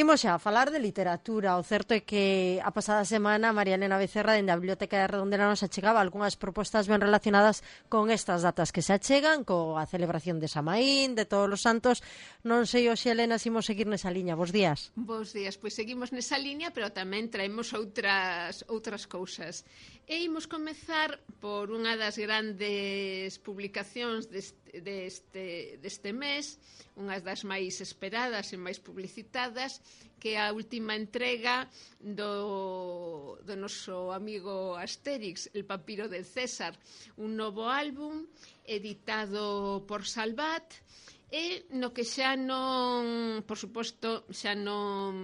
Imos xa a falar de literatura. O certo é que a pasada semana María Elena Becerra dende a Biblioteca de Redondela nos achegaba algunhas propostas ben relacionadas con estas datas que se achegan, coa celebración de Samaín, de Todos os Santos. Non sei, hoxe, Elena, se imos seguir nesa liña. Bos días. Bos días, pois seguimos nesa liña, pero tamén traemos outras cousas. E imos comezar por unha das grandes publicacións deste mes, unha das máis esperadas e máis publicitadas, que é a última entrega do noso amigo Astérix, El papiro del César, un novo álbum editado por Salvat, e no que xa non, por suposto, xa non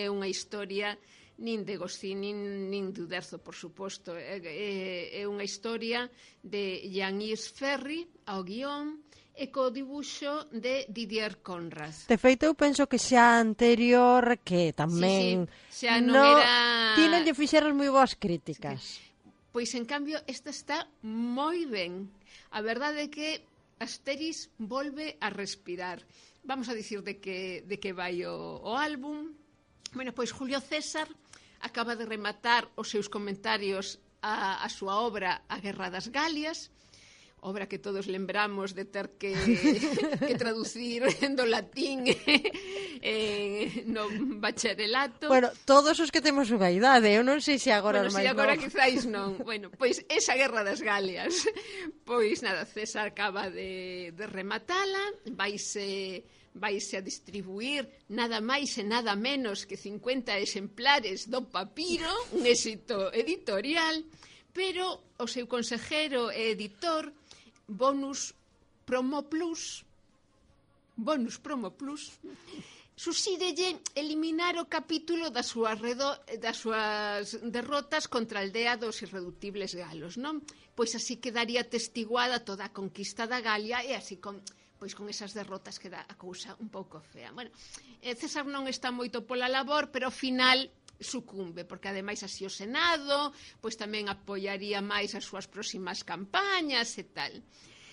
é unha historia nin de Goscinny nin de Uderzo, por suposto. É unha historia de Jean-Yves Ferry ao guión e co dibuixo de Didier Conrad. De feito, eu penso que xa anterior, que tamén sí, xa non era... Ti non lle fixeras moi boas críticas. Pois, en cambio, esta está moi ben. A verdade é que Astérix volve a respirar. Vamos a dicir de que vai o álbum. Bueno, pois Julio César acaba de rematar os seus comentarios a súa obra A Guerra das Galias, obra que todos lembramos de ter que traducir do latín no bacharelato. Bueno, todos os que temos unha idade, eu non sei se agora os máis non. Agora non. quizáis non. Bueno, pois esa Guerra das Galias, pois nada, César acaba de rematala, vaise a distribuir nada máis e nada menos que 50 exemplares do papiro, un éxito editorial, pero o seu consejero e editor Bonus Promo Plus suxírelle eliminar o capítulo das súas derrotas contra a aldea dos irreductibles galos, non? Pois así quedaría testiguada toda a conquista da Galia e así con esas derrotas queda a cousa un pouco fea. Bueno, César non está moito pola labor, pero ao final sucumbe, porque ademais así o Senado pois tamén apoiaría máis as súas próximas campañas e tal.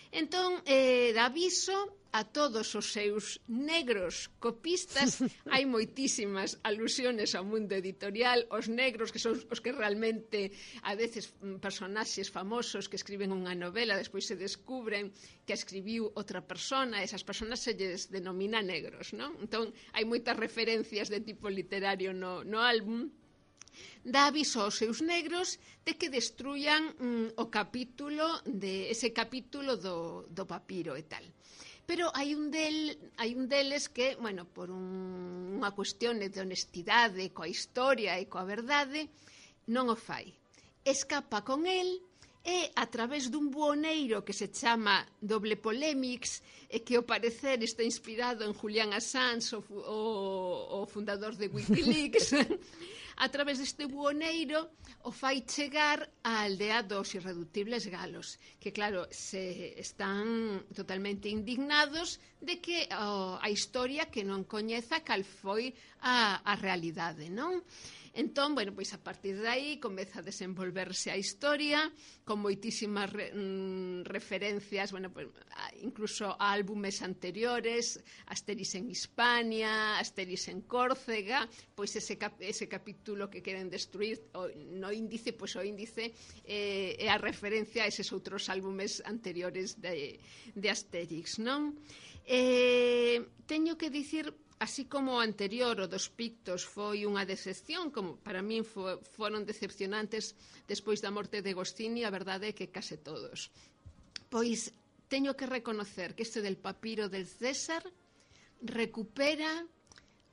Entón, dá aviso a todos os seus negros copistas. Hai moitísimas alusiones ao mundo editorial. Os negros, que son os que realmente a veces personaxes famosos que escriben unha novela, despois se descubren que a escribiu outra persona, esas personas se lles denomina negros, non? Entón, hai moitas referencias de tipo literario no álbum. Dá aviso aos seus negros de que destruyan ese capítulo do papiro e tal. Pero hai un deles que, bueno, por unha cuestión de honestidade coa historia e coa verdade, non o fai. Escapa con el e a través dun buoneiro que se chama Doble Polemics e que ao parecer está inspirado en Julian Assange, o fundador de Wikileaks, a través deste buoneiro o fai chegar á aldea dos irreductibles galos, que claro, se están totalmente indignados de que a historia que non coñeza cal foi a realidade, non? Entón, bueno, pois a partir de aí comeza a desenvolverse a historia con moitísimas referencias, bueno, pues, incluso a álbumes anteriores, Astérix en Hispania, Astérix en Córcega, pois ese capítulo que queren destruir no índice, pois o índice é a referencia a eses outros álbumes anteriores de Astérix, non? Teño que dicir, así como o anterior, o dos Pictos, foi unha decepción, como para min foron decepcionantes despois da morte de Goscinny, a verdade é que case todos. Pois teño que reconocer que este del papiro del César recupera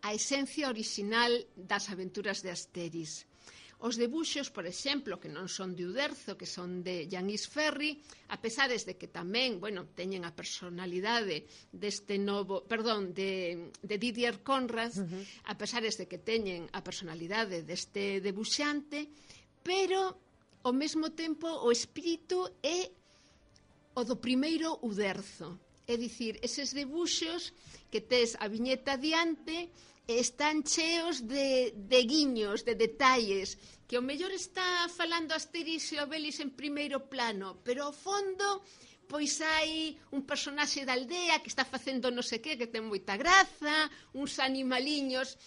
a esencia orixinal das aventuras de Astérix. Os debuxos, por exemplo, que non son de Uderzo, que son de Jean-Yves Ferry, a pesares de que tamén, bueno, teñen a personalidade deste novo, perdón, de Didier Conrad, a pesares de que teñen a personalidade deste debuxante, pero ao mesmo tempo o espírito é o do primeiro Uderzo. É dicir, eses debuxos que tes a viñeta diante están cheos de guiños, de detalles, que o mellor está falando Asterix e Obelix en primeiro plano, pero ao fondo pois hai un personaxe da aldea que está facendo non sei que ten moita graza, uns animaliños,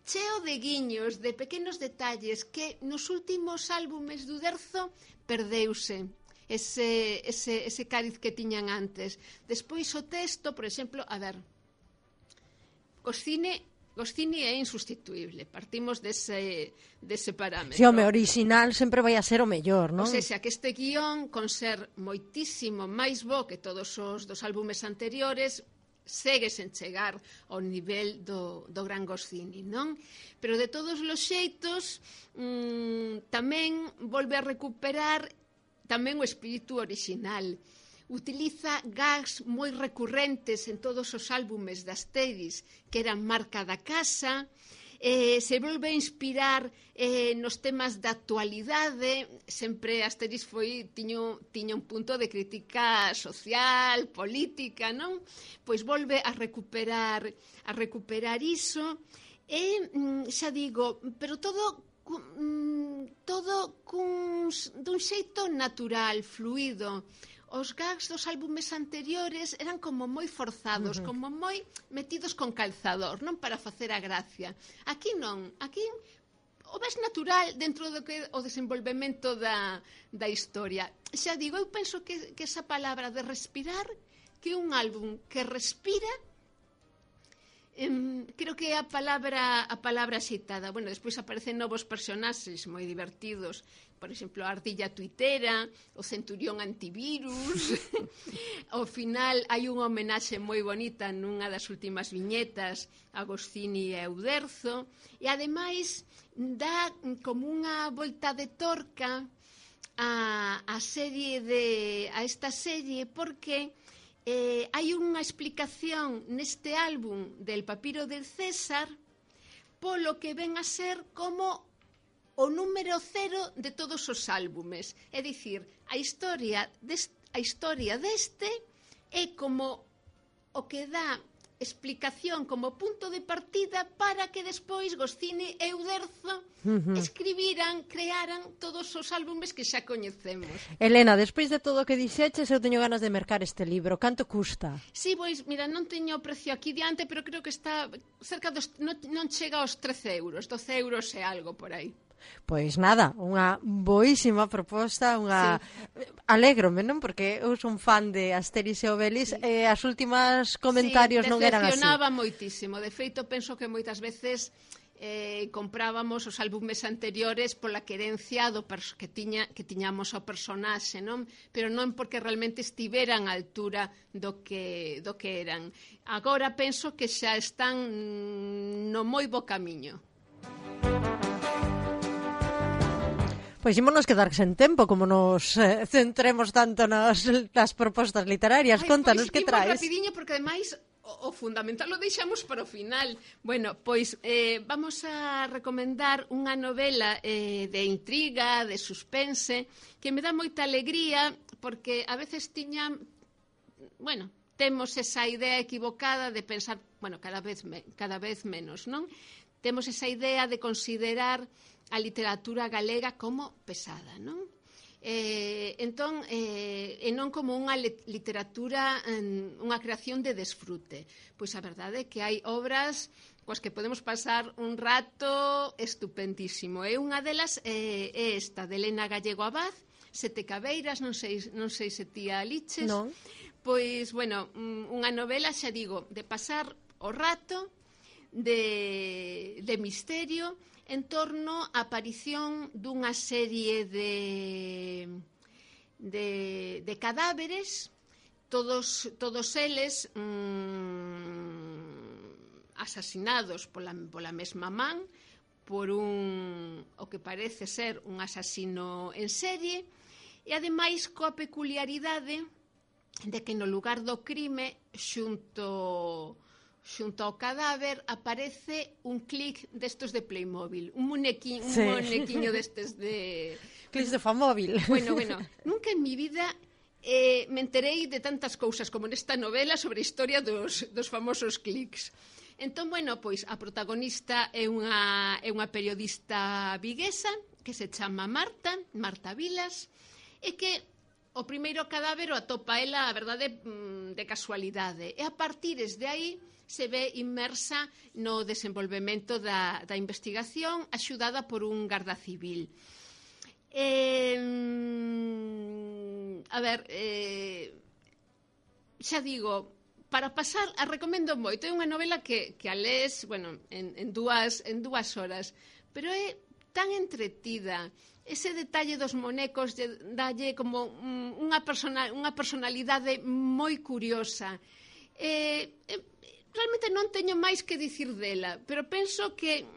cheo de guiños, de pequenos detalles que nos últimos álbumes do Uderzo perdeuse ese cariz que tiñan antes. Despois o texto, por exemplo, a ver, Goscinny é insustituible, partimos dese parámetro. Si, home, original sempre vai a ser o mellor, non? O sea, que este guión, con ser moitísimo máis bo que todos os dos álbumes anteriores, segue sen chegar ao nivel do gran Goscinny, non? Pero de todos os xeitos, tamén volve a recuperar tamén o espírito original. Utiliza gags moi recurrentes en todos os álbumes de Asterix, que eran marca da casa, se volve a inspirar nos temas da actualidade. Sempre Asterix tiña un punto de crítica social, política, non? Pois volve a recuperar iso, e xa digo, pero todo dun xeito natural, fluido. Os gags dos álbumes anteriores eran como moi forzados, como moi metidos con calzador, non para facer a gracia. Aquí non, aquí o ves natural dentro do que o desenvolvemento da historia. Xa digo, eu penso que esa palabra de respirar, que un álbum que respira, creo que é a palabra citada. Bueno, despois aparecen novos personaxes moi divertidos, por exemplo, a ardilla tuitera, o centurión antivirus. Ao final hai unha homenaxe moi bonita nunha das últimas viñetas a Goscinny e Uderzo, e ademais dá como unha volta de torca a esta serie, porque hai unha explicación neste álbum del Papiro del César polo que ven a ser como o número 0 de todos os álbumes. É dicir, a historia deste é como o que dá explicación como punto de partida para que despois Goscinny e Uderzo crearan todos os álbumes que xa coñecemos. Elena, despois de todo o que dixeches, eu teño ganas de mercar este libro. Canto custa? Sí, pois, mira, non teño o precio aquí diante, pero creo que está cerca dos... non chega aos 13 euros, 12 euros e algo por aí. Pois nada, unha boísima proposta, unha... Sí. Alégrome, non? Porque eu son fan de Asterix e Obelix, sí. E as últimas comentarios non eran así. Decepcionaba moitísimo. De feito, penso que moitas veces comprábamos os álbumes anteriores pola querencia que tiñamos ao personaxe, non? Pero non porque realmente estiveran á altura do que eran. Agora penso que xa están no moi bo camiño. Pois ímonos quedar sen tempo, como nos centremos tanto nas propostas literarias. Contanos que traes. Rapidiño, porque ademais o fundamental lo deixamos para o final. Bueno, pois vamos a recomendar unha novela de intriga, de suspense, que me dá moita alegría, porque a veces temos esa idea equivocada de pensar, cada vez menos, non? Temos esa idea de considerar a literatura galega como pesada, non? Entón, e non como unha literatura, unha creación de desfrute. Pois a verdade é que hai obras coas que podemos pasar un rato estupendísimo. E unha delas é esta, de Elena Gallego Abad, Sete Cabeiras, non sei se ti a liches. Non. Pois, unha novela, xa digo, de pasar o rato, de misterio, en torno á aparición dunha serie de cadáveres, todos eles asasinados pola mesma man, por o que parece ser un asasino en serie, e ademais coa peculiaridade de que no lugar do crime, xunto ao cadáver, aparece un clic destos de Playmobil, un muñequiño destes de... Clics de Famóvil. Bueno, nunca en mi vida me enterei de tantas cousas como nesta novela sobre a historia dos famosos clics. Entón, bueno, pois a protagonista é unha periodista viguesa que se chama Marta Vilas, e que o primeiro cadáver o atopa ela, a verdade, de casualidade. E a partires de aí se ve inmersa no desenvolvemento da investigación, axudada por un garda civil. A ver, xa digo, para pasar, a recomendo moito. É unha novela que a lees, bueno, en dúas horas, pero é tan entretida. Ese detalle dos monecos dalle como unha personalidade moi curiosa. Realmente non teño máis que dicir dela, pero penso que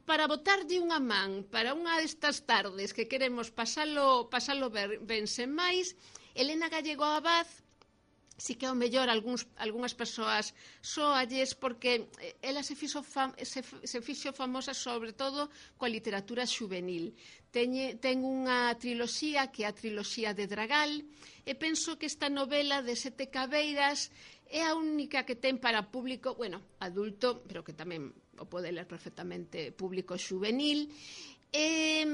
para botarlle unha man para unha destas tardes que queremos pasalo ben sen máis, Elena Gallego Abad si que ao mellor algunhas persoas soalles, porque ela se fixo famosa sobre todo coa literatura xuvenil. Ten unha triloxía que é a triloxía de Dragal, e penso que esta novela de Sete Cabeiras é a única que ten para público, bueno, adulto, pero que tamén o pode ler perfectamente público xuvenil. E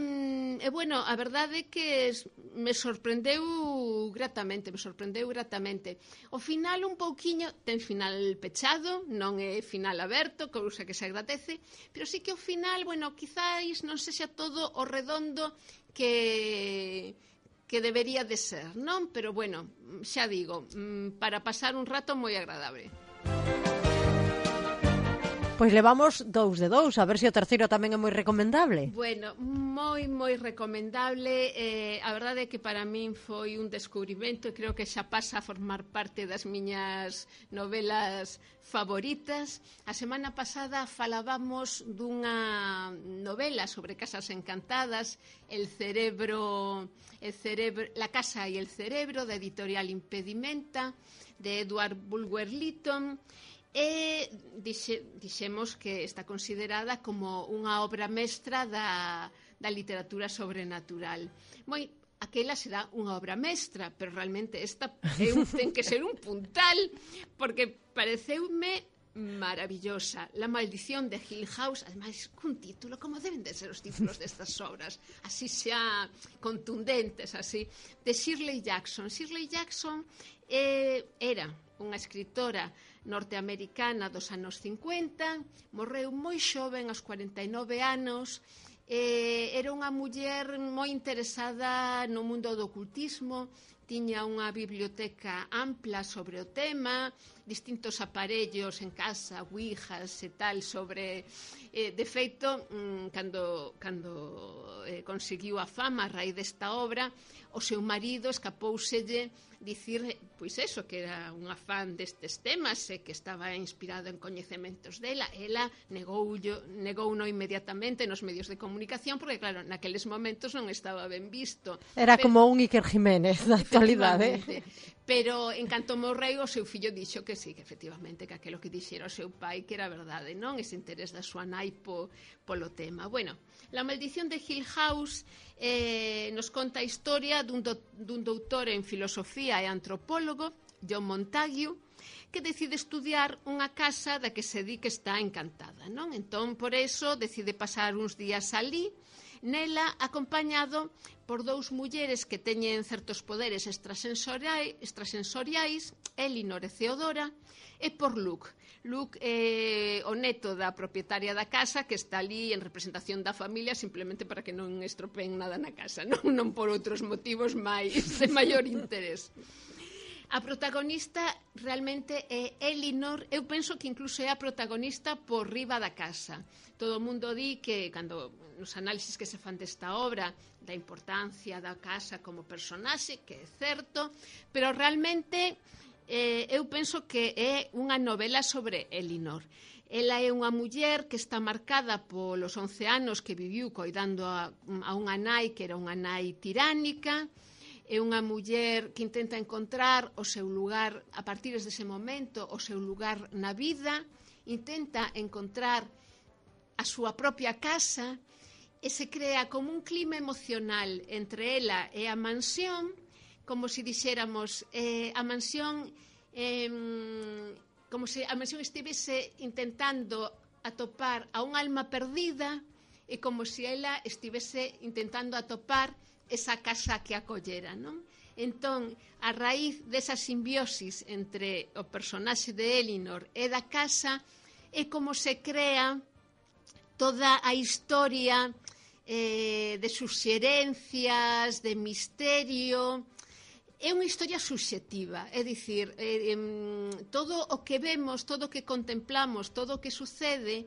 bueno, a verdade é que me sorprendeu gratamente. O final un pouquiño, ten final pechado, non é final aberto, cousa que se agradece, pero sí que o final, bueno, quizáis non sexa todo o redondo que debería de ser, non? Pero bueno, xa digo, para pasar un rato moi agradable. Pois levamos 2 de 2, a ver se o terceiro tamén é moi recomendable. Bueno, moi recomendable. A verdade é que para min foi un descubrimento e creo que xa pasa a formar parte das miñas novelas favoritas. A semana pasada falábamos dunha novela sobre casas encantadas, La casa y el cerebro, da editorial Impedimenta, de Edward Bulwer-Lytton. E dixemos que está considerada como unha obra mestra da literatura sobrenatural. Moi, aquela será unha obra mestra, pero realmente esta ten que ser un puntal, porque pareceume maravillosa. La maldición de Hill House, ademais, cun título, como deben de ser os títulos destas obras, así xa contundentes, así, de Shirley Jackson. Shirley Jackson era unha escritora norteamericana dos anos 50, morreu moi xoven, aos 49 anos, era unha muller moi interesada no mundo do ocultismo, tiña unha biblioteca ampla sobre o tema, distintos aparellos en casa, ouijas e tal sobre... De feito, cando conseguiu a fama a raíz desta obra, o seu marido escapouselle dicir, pois eso, que era unha fan destes temas e que estaba inspirado en coñecementos dela. Ela negouno inmediatamente nos medios de comunicación, porque claro, naqueles momentos non estaba ben visto. Era como un Iker Jiménez da actualidade. Pero en canto morreu, o seu fillo dixo que sí, que efectivamente, que aquilo que dixera o seu pai que era verdade, non? Ese interés da súa nai polo tema. Bueno, La maldición de Hill House nos conta a historia dun doutor en filosofía e antropólogo, John Montague, que decide estudiar unha casa da que se di que está encantada, non? Entón, por eso, decide pasar uns días alí, nela acompañado por 2 mulleres que teñen certos poderes extrasensoriais, Elinor e Theodora, e por Luke. Luke é o neto da propietaria da casa, que está ali en representación da familia simplemente para que non estropeen nada na casa, non por outros motivos de maior interés. A protagonista realmente é Elinor. Eu penso que incluso é a protagonista por riba da casa. Todo o mundo di que, cando nos análisis que se fan desta obra, da importancia da casa como personaxe, que é certo, pero realmente eu penso que é unha novela sobre Elinor. Ela é unha muller que está marcada polos 11 anos que viviu coidando a unha nai que era unha nai tiránica. É unha muller que intenta encontrar o seu lugar, a partir dese momento, o seu lugar na vida, intenta encontrar a súa propia casa e se crea como un clima emocional entre ela e a mansión como se dixéramos, a mansión como se a mansión estivese intentando atopar a un alma perdida e como se ela estivese intentando atopar esa casa que acollera, non? Entón, a raíz desa simbiosis entre o personaxe de Elinor e da casa é como se crea toda a historia de suxerencias, de misterio. É unha historia subxectiva, é dicir, todo o que vemos, todo o que contemplamos, todo o que sucede,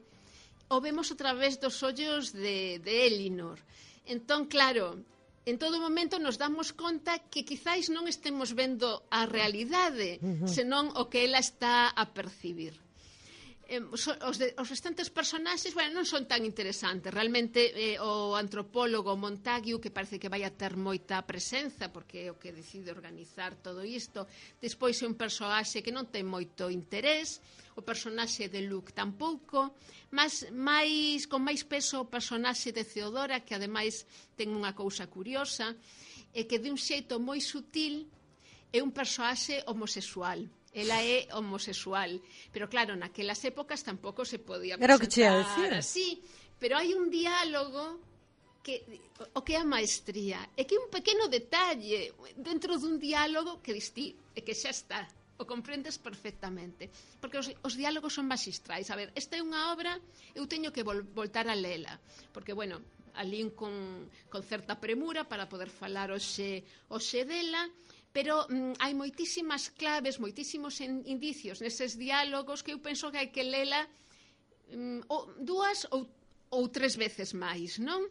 o vemos a través dos ollos de Elinor. Entón, claro, en todo momento nos damos conta que quizáis non estemos vendo a realidade, senón o que ela está a percibir. Os restantes personaxes, bueno, non son tan interesantes. Realmente o antropólogo Montague, que parece que vai a ter moita presenza, porque é o que decide organizar todo isto. Despois é un personaxe que non ten moito interés, o personaxe de Luke tampouco, mas con máis peso o personaxe de Theodora, que ademais ten unha cousa curiosa, é que de un xeito moi sutil é un personaxe homosexual. Ela é homosexual, pero claro, naquelas épocas tampouco se podía presentar así, pero hai un diálogo o que é a maestría, é que un pequeno detalle dentro dun diálogo que distí, e que xa está, o comprendes perfectamente, porque os diálogos son maxistrais. A ver, esta é unha obra, eu teño que voltar a lela, porque, bueno, alín con certa premura para poder falar hoxe dela, pero hai moitísimas claves, moitísimos indicios neses diálogos que eu penso que hai que lela dúas ou tres veces máis, non?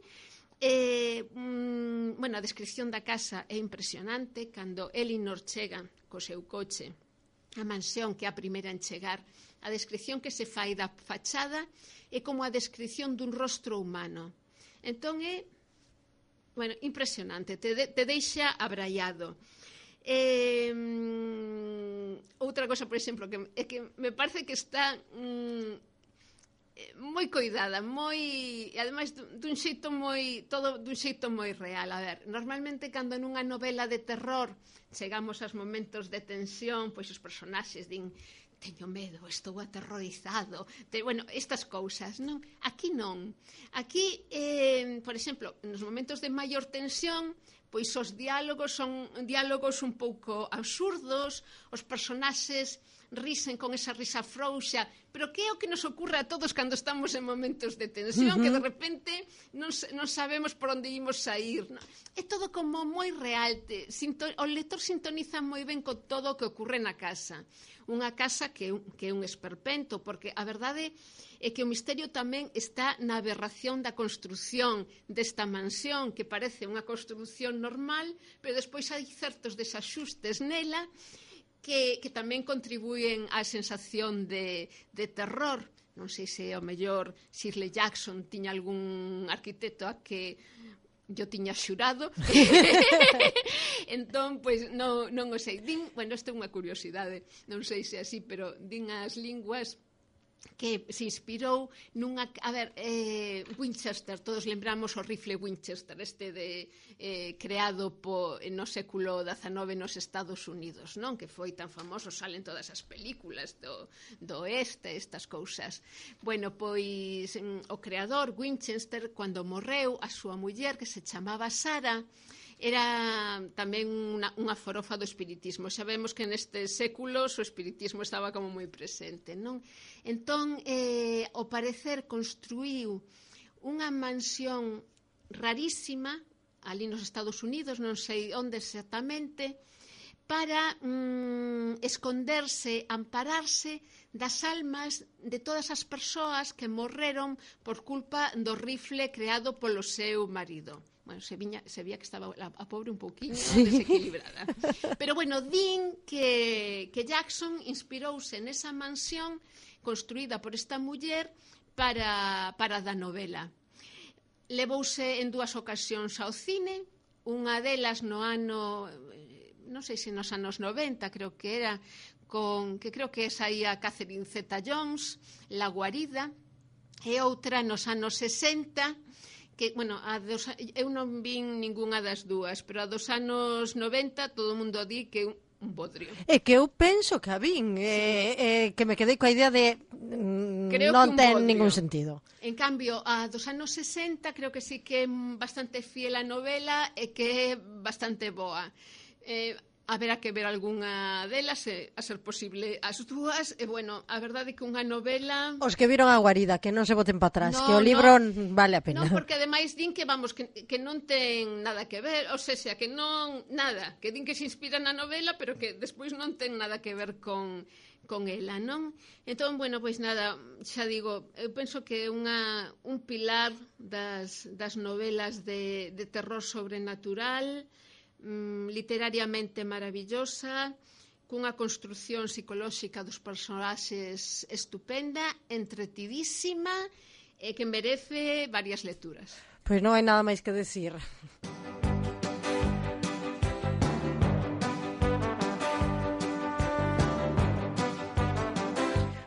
Bueno, a descripción da casa é impresionante. Cando Elinor chega co seu coche a mansión, que é a primeira en chegar, a descripción que se fai da fachada é como a descripción dun rostro humano. Entón é, bueno, impresionante, te deixa abraiado. Outra cosa, por exemplo, é que me parece que está moi coidada, e ademais dun xeito moi real. A ver, normalmente cando nunha novela de terror chegamos aos momentos de tensión, pois os personaxes din: teño medo, estou aterrorizado, bueno, estas cousas, non? Aquí non. Aquí, por exemplo, nos momentos de maior tensión, pois os diálogos son diálogos un pouco absurdos, os personaxes risen con esa risa frouxa, pero que é o que nos ocurre a todos cando estamos en momentos de tensión, que de repente non sabemos por onde imos sair, non? É todo como moi real, o lector sintoniza moi ben con todo o que ocorre na casa. Unha casa que é un esperpento, porque a verdade é que o misterio tamén está na aberración da construción desta mansión, que parece unha construción normal, pero despois hai certos desaxustes nela que tamén contribuyen á sensación de terror. Non sei se ao mellor Shirley Jackson tiña algún arquitecto a que yo tiña xurado. Entón, pois, non o sei. Bueno, esta é unha curiosidade, non sei se así, pero din as linguas que se inspirou nunha... A ver, Winchester, todos lembramos o rifle Winchester, creado no século XIX nos Estados Unidos, non? Que foi tan famoso, salen todas as películas do oeste, estas cousas. Bueno, pois o creador Winchester, cando morreu, a súa muller, que se chamaba Sara, era tamén unha forofa do espiritismo. Sabemos que nestes séculos o espiritismo estaba como moi presente, non? Entón, ao parecer, construíu unha mansión rarísima ali nos Estados Unidos, non sei onde exactamente, para esconderse, ampararse das almas de todas as persoas que morreron por culpa do rifle creado polo seu marido. Bueno, se vía que estaba a pobre un pouquinho desequilibrada. Pero, bueno, din que Jackson inspirouse nesa mansión construída por esta muller para da novela. Levouse en dúas ocasións ao cine, unha delas no ano, non sei se nos anos 90, creo que era, que creo que saía Catherine Zeta-Jones, La guarida, e outra nos anos 60, que, bueno, eu non vin ningunha das dúas, pero a dos anos 90 todo o mundo di que un bodrio. É que eu penso que a vin, que me quedei coa idea de non ten ningún sentido. En cambio, a dos anos 60 creo que sí que é bastante fiel a novela e que é bastante boa. Haberá que ver algunha delas, a ser posible as dúas, e bueno, a verdade é que unha novela... Os que viron a guarida, que non se boten para atrás, que o libro vale a pena. Non, porque ademais din que, vamos, que non ten nada que ver, ou seja, que non, nada, que din que se inspira na novela, pero que despois non ten nada que ver con ela, non? Entón, bueno, pois nada, xa digo, eu penso que é un pilar das novelas de terror sobrenatural, literariamente maravillosa, cunha construción psicolóxica dos personaxes estupenda, entretidísima e que merece varias lecturas. Pois non hai nada máis que decir.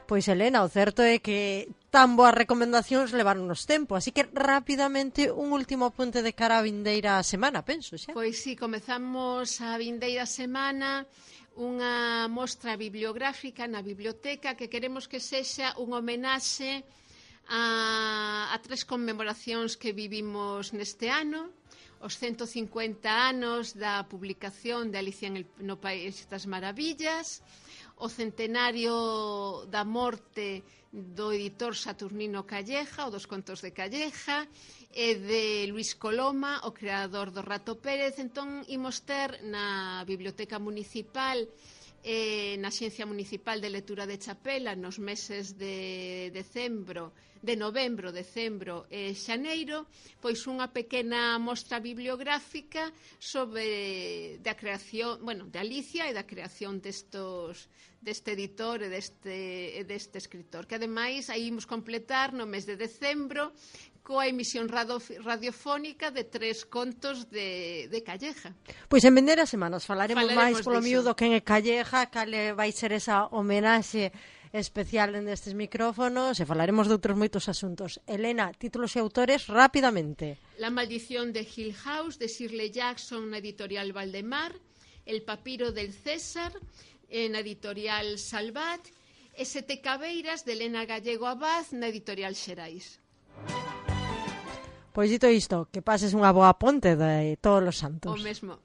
Pois, Elena, o certo é que tan boas recomendacións levaronnos tempo, así que rapidamente un último apunte de cara a vindeira semana, penso, xa. Pois sí, comezamos a vindeira semana unha mostra bibliográfica na biblioteca que queremos que sexa un homenaxe a 3 conmemoracións que vivimos neste ano, os 150 anos da publicación de Alicia no País das Maravillas, o centenario da morte do editor Saturnino Calleja, o dos contos de Calleja, e de Luis Coloma, o creador do Rato Pérez. Entón, imos ter na Biblioteca Municipal na Xencia Municipal de Lectura de Chapela nos meses de novembro, decembro e xaneiro, pois unha pequena mostra bibliográfica sobre da creación, bueno, de Alicia e da creación deste editor e deste escritor, que ademais aí imos completar no mes de decembro coa emisión radiofónica de 3 contos de Calleja. Pois en vindeiras semanas falaremos máis polo miúdo quen é Calleja, cale vai ser esa homenaxe especial nestes micrófonos e falaremos de outros moitos asuntos. Elena, títulos e autores rapidamente. La maldición de Hill House, de Shirley Jackson, na editorial Valdemar, El papiro del César, na editorial Salvat, e Sete cabeiras, de Elena Gallego Abad, na editorial Xerais. Pois dito isto, que pases unha boa ponte de todos os santos. O mesmo.